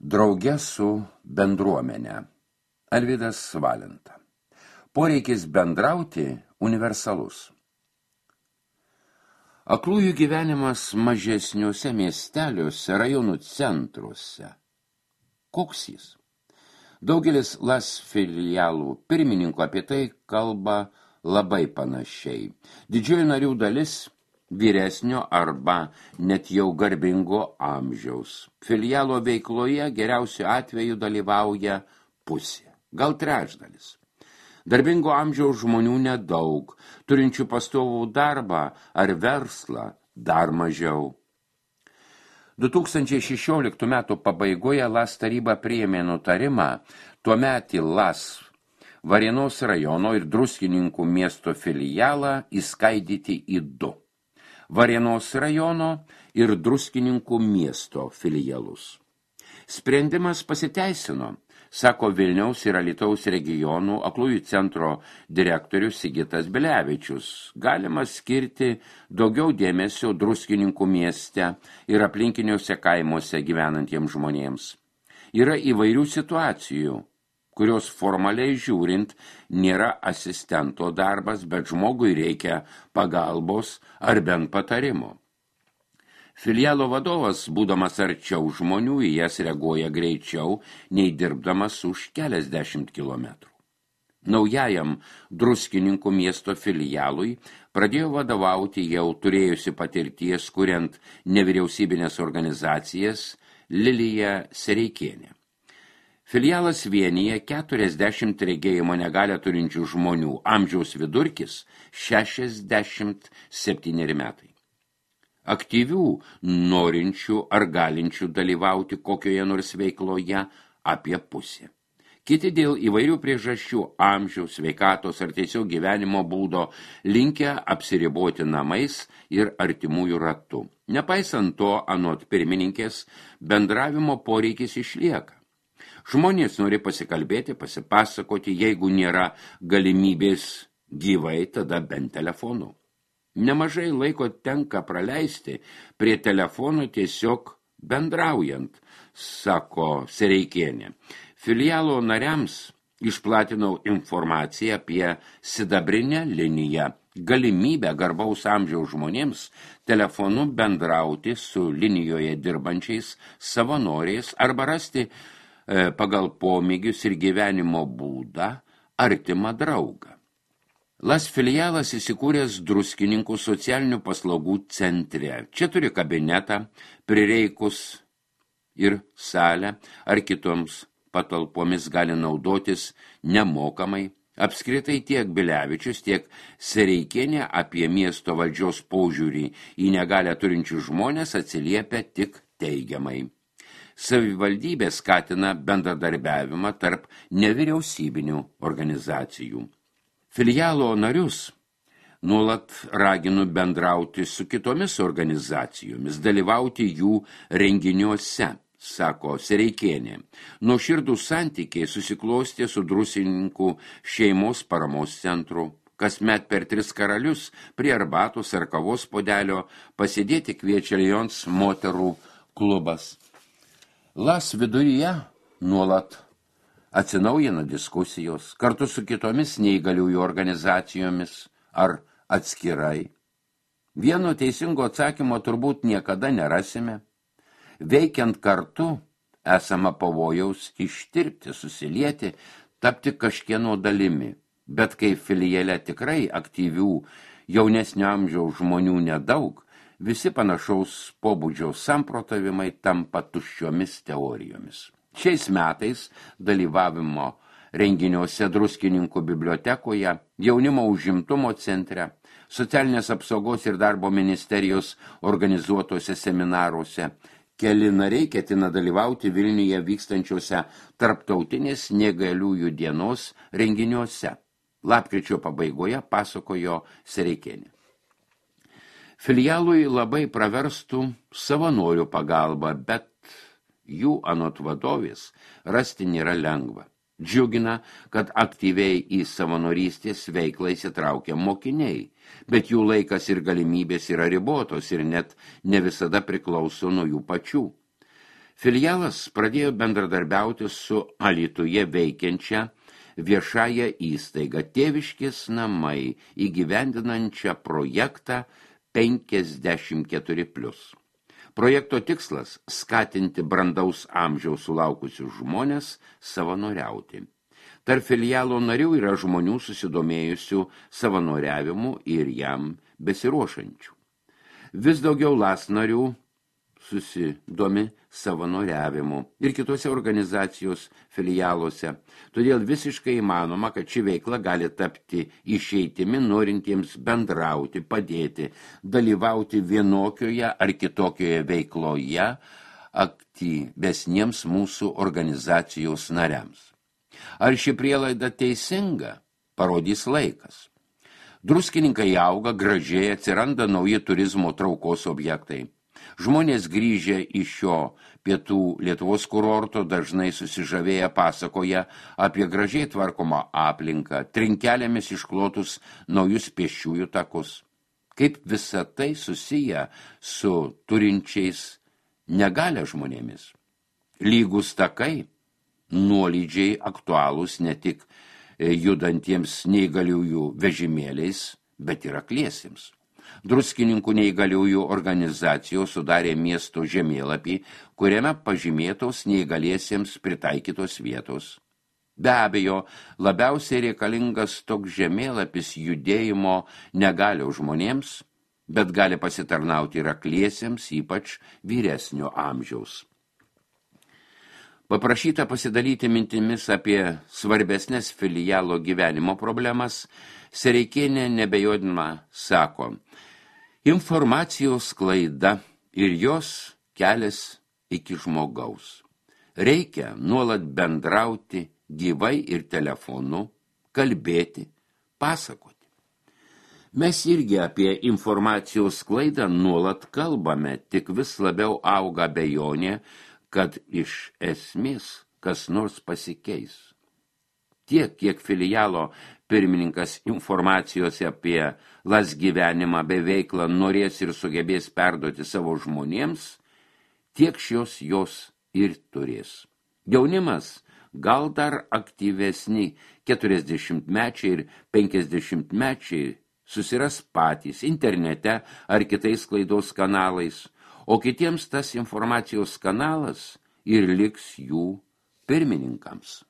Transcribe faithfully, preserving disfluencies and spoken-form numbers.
Drauge su bendruomenė. Alvydas Valenta. Poreikis bendrauti universalus. Aklųjų gyvenimas mažesniuose miesteliuose, rajonų centruose. Koks jis? Daugelis LAS filialų pirmininkų apie tai kalba labai panašiai. Didžioji narių dalis vyresnio arba net jau garbingo amžiaus. Filialo veikloje geriausiu atveju dalyvauja pusė, gal trečdalis. Darbingo amžiaus žmonių nedaug, turinčių pastovų darbą ar verslą dar mažiau. du tūkstančiai šešioliktų metų pabaigoje LAS taryba priėmė nutarimą tuometį LAS Varėnos rajono ir Druskininkų miesto filialą įskaidyti į du. Varėnos rajono ir Druskininkų miesto filialus. Sprendimas pasiteisino, sako Vilniaus ir Alytaus regionų aklųjų centro direktorius Sigitas Bilevičius. Galima skirti daugiau dėmesio Druskininkų mieste ir aplinkiniuose kaimuose gyvenantiems žmonėms. Yra įvairių situacijų, kurios formaliai žiūrint nėra asistento darbas, bet žmogui reikia pagalbos ar bent patarimo. Filialo vadovas, būdamas arčiau žmonių, į jas reaguoja greičiau, nei dirbdamas už keliasdešimt kilometrų. Naujajam Druskininkų miesto filialui pradėjo vadovauti jau turėjusi patirties, kuriant nevyriausybinės organizacijas, Lilija Sereikienė. Filialas vienyje keturiasdešimt regėjimo negalią turinčių žmonių, amžiaus vidurkis šešiasdešimt septyneri metai. Aktyvių, norinčių ar galinčių dalyvauti kokioje nors veikloje apie pusę. Kiti dėl įvairių priežasčių, amžiaus, sveikatos ar tiesiog gyvenimo būdo linkę apsiriboti namais ir artimųjų ratu. Nepaisant to, anot pirmininkės, bendravimo poreikis išlieka. Žmonės nori pasikalbėti, pasipasakoti, jeigu nėra galimybės gyvai, tada bent telefonu. Nemažai laiko tenka praleisti prie telefonų tiesiog bendraujant, sako Sereikienė. Filialo nariams išplatinau informaciją apie sidabrinę liniją, galimybę garbaus amžiaus žmonėms telefonu bendrauti su linijoje dirbančiais savanoriais arba rasti pagal pomėgius ir gyvenimo būdą artimą draugą. LAS filialas įsikūręs Druskininkų socialinių paslaugų centre. Čia turi kabinetą, prireikus ir salę ar kitoms patalpomis gali naudotis nemokamai. Apskritai tiek Bilevičius, tiek Sereikienė apie miesto valdžios požiūrį į negalią turinčių žmonės atsiliepia tik teigiamai. Savivaldybė skatina bendradarbiavimą tarp nevyriausybinių organizacijų. Filialo narius nuolat raginu bendrauti su kitomis organizacijomis, dalyvauti jų renginiuose, sako Sereikienė. Nuoširdų santykiai susiklostė su Druskininkų šeimos paramos centru. Kasmet per tris karalius prie arbatos ar kavos puodelio pasėdėti kviečia Lions moterų klubas. LAS viduryje nuolat atsinaujina diskusijos kartu su kitomis neįgaliųjų organizacijomis ar atskirai. Vieno teisingo atsakymo turbūt niekada nerasime. Veikiant kartu esama pavojaus ištirpti, susilieti, tapti kažkieno dalimi. Bet kai filiale tikrai aktyvių jaunesnio amžiaus žmonių nedaug, visi panašaus pobūdžio samprotavimai tampa tuščiomis teorijomis. Šiais metais dalyvavimo renginiuose Druskininkų bibliotekoje, jaunimo užimtumo centre, socialinės apsaugos ir darbo ministerijos organizuotose seminaruose keli nariai ketina dalyvauti Vilniuje vykstančiuose tarptautinės neįgaliųjų dienos renginiuose. Lapkričio pabaigoje pasakojo Sereikienė. Filialui labai praverstų savanorių pagalba, bet jų anot vadovės rasti nėra lengva. Džiugina, kad aktyviai į savanorystės veiklą įsitraukia mokiniai, bet jų laikas ir galimybės yra ribotos ir net ne visada priklauso nuo jų pačių. Filialas pradėjo bendradarbiauti su Alytuje veikiančia viešąją įstaigą Tėviškės namai įgyvendinančią projektą penkiasdešimt keturi plius. Projekto tikslas – skatinti brandaus amžiaus sulaukusius žmones savanoriauti. Tarp filialo narių yra žmonių susidomėjusių savanoriavimu ir jam besiruošančių. Vis daugiau las narių susidomi savanoriavimu ir kitose organizacijos filialuose. Todėl visiškai įmanoma, kad ši veikla gali tapti išeitimi norintiems bendrauti, padėti, dalyvauti vienokioje ar kitokioje veikloje aktyvesniems mūsų organizacijos nariams. Ar ši prielaida teisinga, parodys laikas. Druskininkai auga, gražiai atsiranda nauji turizmo traukos objektai. Žmonės grįžę iš šio pietų Lietuvos kurorto dažnai susižavėję pasakoja apie gražiai tvarkomą aplinką, trinkelėmis išklotus naujus pėsčiųjų takus. Kaip visa tai susiję su turinčiais negalią žmonėmis. Lygus takai, nuolydžiai aktualūs ne tik judantiems neįgaliųjų vežimėliais, bet ir akliesiems. Druskininkų neįgaliųjų organizacijos sudarė miesto žemėlapį, kuriame pažymėtos neįgaliesiems pritaikytos vietos. Be abejo, labiausiai reikalingas toks žemėlapis judėjimo negalio žmonėms, bet gali pasitarnauti ir akliesiems, ypač vyresnio amžiaus. Paprašyta pasidalyti mintimis apie svarbesnės filialo gyvenimo problemas, Sereikienė nebejodinama sako, informacijos sklaida ir jos kelias iki žmogaus. Reikia nuolat bendrauti gyvai ir telefonu, kalbėti, pasakoti. Mes irgi apie informacijos sklaidą nuolat kalbame, tik vis labiau auga abejonė, kad iš esmės kas nors pasikeis. Tiek, kiek filialo pirmininkas informacijos apie las gyvenimą bei veiklą norės ir sugebės perduoti savo žmonėms, tiek šios jos ir turės. Jaunimas gal dar aktyvesni keturiasdešimtmečiai ir penkiasdešimtmečiai susiras patys internete ar kitais sklaidos kanalais, o kitiems tas informacijos kanalas ir liks jų pirmininkams.